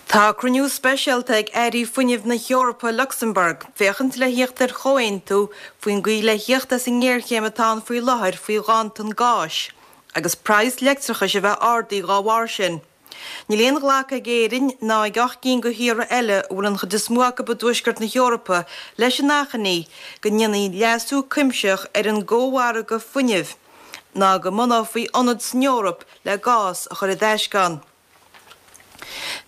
Tá cruinniú speisialta ag airí fuinnimh na hEorpa i Lucsamburg, féachaint le thíocht ar chomhaontú faoin gcaoi le thíocht as an ngéarchéim atá ann faoi láthair faoi ghanntan gáis, agus praghas leictreachais a bheith ardaithe dhá bharr sin. Níl aon ghlacadh ag Éirinn ná ag 8 gcinn de thíortha eile, a bhfuil an chuid is mó acu i dtuaisceart na hEorpa, leis an achainí go ndéanfaí leasú cuimsitheach ar an gcómhargadh fuinnimh, ná go mbunófaí ionad san Eoraip le gás a chur i dtaisce ann.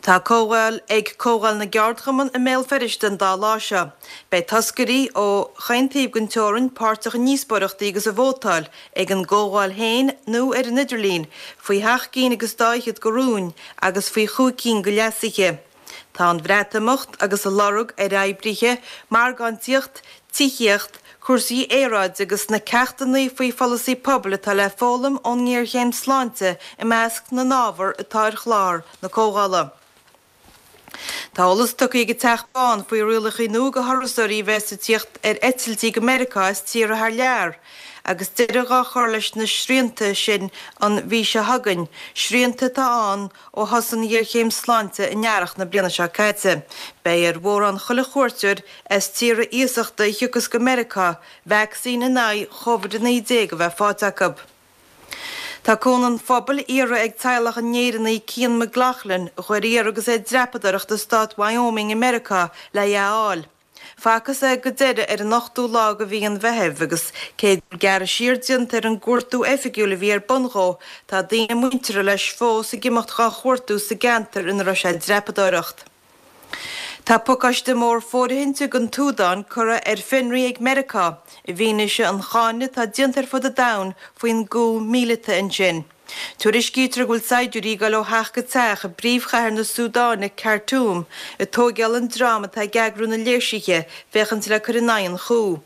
Tá comhdháil ag Comhdháil na gCeardchumann i mBéal Feirste an dá lá seo. Beidh toscairí ó chaon taobh den teorainn páirteach i ndíospóireachtaí agus i vótáil, ag an gcomhdháil féin nó ar an idirlíon, faoi sheacht gcinn agus dá fhichead de rúin agus faoi chúig cinn de leasuithe. Tá an Bhreatimeacht agus a lorg ar oibrithe, margáintíocht, tithíocht, cúrsaí aeráide agus na ceachtanna faoi pholasaí pobail atá le foghlaim ón ngéarchéim sláinte i measc na n-ábhar atá ar chlár na comhdhála. Tá eolas tugtha ag an Teach Bán faoi rialacha nua do thurasóirí a bheas ag tíocht ar eitiltí go Meiriceá as tíortha thar lear agus deireadh á chur leis na srianta sin an mhí seo chugainn, srianta atá ann Ó thosaigh an ghéarchéim sláinte in earrach na bliana seo caite, beidh ar mhórán chuile chuairteoir as tíortha iasachta a thiocfas go Meiriceá vacsaín in aghaidh Covid-19 a bheith faighte acu. Tá cúnamh an phobail iarrtha ag teaghlach an Éireannaigh Cian McLaughlin, a chuir iarraidh agus é ag dreapadóireacht i stát Wyoming i Meiriceá, le é a fháil. Facthas é go deireadh ar an ochtú lá de mhí an Mheithimh agus cé go bhfuil gearradh siar déanta ar an gcuartú oifigiúil a bhí ar bun dhó, tá daoine muinteartha leis fós ag imeacht dhá chuartú sa gceantar ina raibh sé ag dreapadóireacht. Tá pacáiste mór fóirithinte don tSúdáin curtha ar fionraí ag Meiriceá i bhfianaise an cháineadh atá déanta ar fud an domhain faoin gcoup míleata ansin. Tuairiscítear go bhfuil saighdiúirí ag dul ó theach go teach i bpríomhchathair na Súdáine, Khartoum, ag tóigeáil an dream atá ag eagrú na léirsithe féachaint le cur in aghaidh an coup.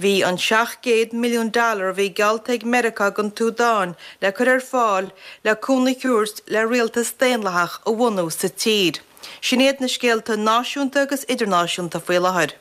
Bhí an 700 milliún dollar a bhí geallta ag Meiriceá don tSúdáin le cur ar fáil le cúnamh a thabhairt le rialtas daonlathach a bhunú sa tír. Sin iad na scéalta náisiúnta agus idirnáisiúnta faoi láthair.